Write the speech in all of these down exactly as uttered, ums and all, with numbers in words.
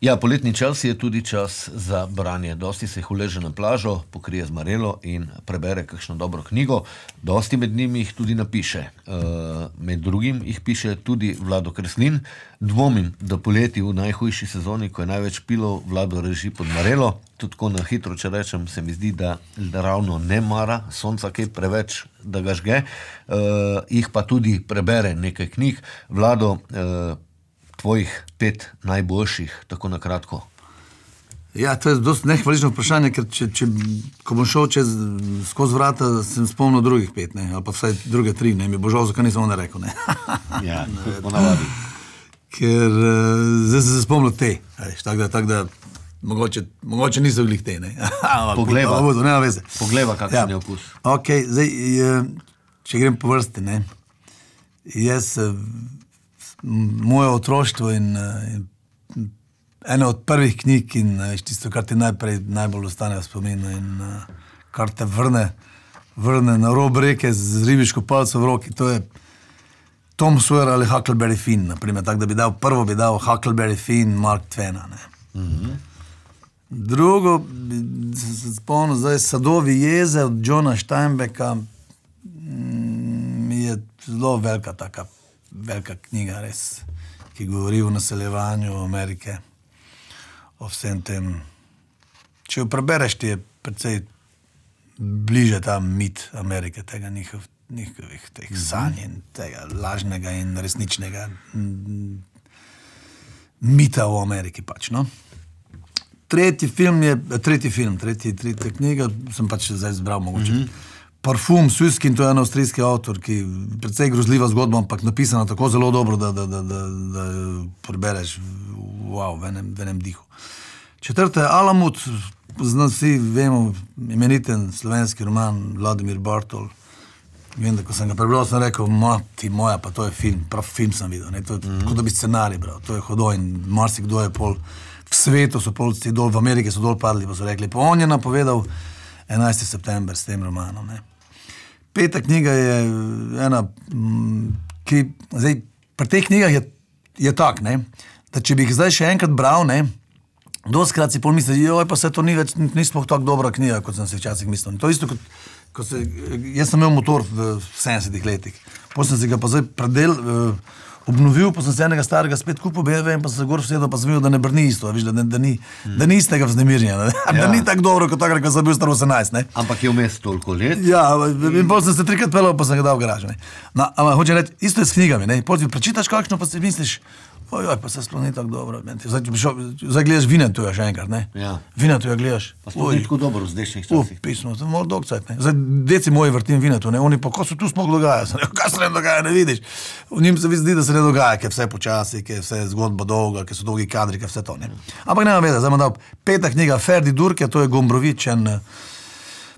Ja, poletni čas je tudi čas za branje. Dosti se jih uleže na plažo, pokrije z marelo in prebere kakšno dobro knjigo. Dosti med njimi jih tudi napiše. E, med drugim jih piše tudi Vlado Kreslin. Dvomim, da poleti v najhujši sezoni, ko je največ pilov, Vlado reži pod marelo. Tudi ko na hitro, če rečem, se mi zdi, da, da ravno ne mara sonca kaj preveč, da ga žge. E, jih pa tudi prebere nekaj knjig. Vlado, e, tvojih pet najboljših, tako na kratko. Ja, to je dosti nehvalično vprašanje, ker če, če, ko bom šel čez, skozi vrata, sem spomnil drugih pet, ne, ali pa vsaj druge tri, ne, mi bo žal, zakaj nisem onda rekel, ne. Ja, ponavadi. Ker zdaj sem se spomnil te, tako da, tak da mogoče, mogoče niso glih te, ne. Pogleva, nema veze. Pogleva, kakšen je okus. Ok, zdaj, če grem po vrsti, ne, jaz moje otroštvo in, in ena od prvih knjig in tisto, kar ti najprej najbolj ostane v spominu in kar te vrne, vrne na rob reke z ribiško palco v roki, to je Tom Sawyer ali Huckleberry Finn, naprimer, tako da bi dal, prvo bi dal Huckleberry Finn Mark Twena, ne. Mm-hmm. Drugo, sem se spomnil, zdaj Sadovi jeze od Johna Steinbecka, mi je zelo velika taka velika knjiga, res, ki govori o naseljevanju Amerike, o vsem tem. Če jo prebereš, ti je precej bliže ta mit Amerike, tega njihov, njihovih teh sanj in tega lažnega in resničnega mita o Ameriki pač, no. Tretji film je, tretji film, tretji, tretja knjiga, sem pač zdaj zbral mogoče. Mm-hmm. Parfum Susskind, to je en avstrijski avtor, ki precej grozljiva zgodba, ampak napisana tako zelo dobro, da, da, da, da, da prebereš wow, v enem, v enem dihu. Četrta je Alamut, znam vsi, vemo, imeniten slovenski roman Vladimir Bartol. Vem, da ko sem ga prebral, sem rekel, mati moja, pa to je film, prav film sem videl, ne? To je mm-hmm. kot da bi scenarij bral, to je hodo in marsikdo je pol, v svetu so pol dol, v Ameriki so dol padli, pa so rekli, pa on je napovedal enajstega september s tem romanom, ne. Peta knjiga je ena, ki, zdaj, pri teh knjigah je, je tak, ne, da če bi jih zdaj še enkrat bral, ne, dostikrat si pol misli, joj, pa se to ni več, nismo tako dobra knjiga, kot sem se včasih mislil. To isto, kot, kot se, jaz sem imel motor v sedemdesetih letih, potem sem si ga pa zdaj predel, uh, obnovil, pa sem se enega starega spet kupil B M W in pa sem se gor vsedel, pa sem videl, da ne brni isto, viš, da, da, da, ni, hmm. da ni istega vznemirjenja, da, ja. da ni tako dobro, kot takrat, ko sem bil star osemnajst, ne. Ampak je vmes toliko let? Ja, in potem sem se trikrat pelal, pa sem ga dal v garažu, ne. No, ampak hočem reči, isto je s knjigami, ne, potem prečitaš kakšno, pa si misliš, ojoj, pa se sploh ni tako dobro, zdaj, zdaj gledaš Vinetuja še enkrat, ne. Ja. Vinetuja gledaš. Pa sploh ni tako dobro v zdajšnjih časih. Uh, pismo, to je malo dolg cajt, ne. Zdaj, deci moji vrtim Vinetu, ne, oni pa, ko se tu sploh dogaja, sem rekel, kaj se ne dogaja, ne vidiš. V njim se zdi, da se ne dogaja, ker vse počasi, ker vse je zgodba dolga, ker so dolgi kadri, ker vse to, ne. Ampak nema veze, zdaj imam dal peta knjiga Ferdi Durke, to je Gombrovič, en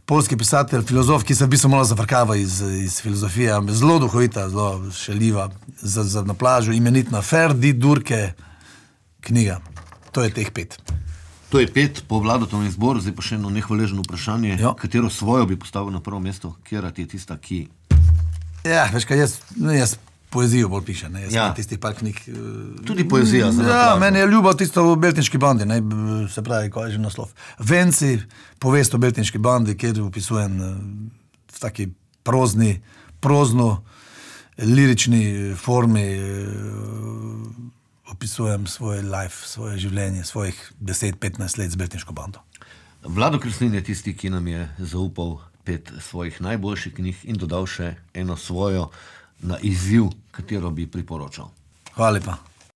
polski pisatelj, filozof, ki se v bistvu malo zafrkava iz, iz filozofije, zelo duhovita, zelo šaljiva, za, za na plažu, imenitna Ferdi Durke knjiga. To je teh pet. To je pet po Vladotovem izboru, zdaj pa še eno nehvaležno vprašanje, jo. Katero svojo bi postavil na prvo mesto, kjera ti je tista, ki... Ja, veš kaj, jaz, jaz poezijo bolj pišem, ne, jaz ja. sem tistih par knjig... Tudi poezija za Ja, meni je ljubav tisto v Beltinški bandi, ne, se pravi, ko je že naslov. Venci, povest o Beltinški bandi, kjer opisujem v taki prozni, prozno, lirični formi opisujem svoj life, svoje življenje, svojih deset petnajst let z Beltinško bando. Vlado Kreslin je tisti, ki nam je zaupal pet svojih najboljših knjig in dodal še eno svojo na izziv, katero bi priporočal. Hvala lepa.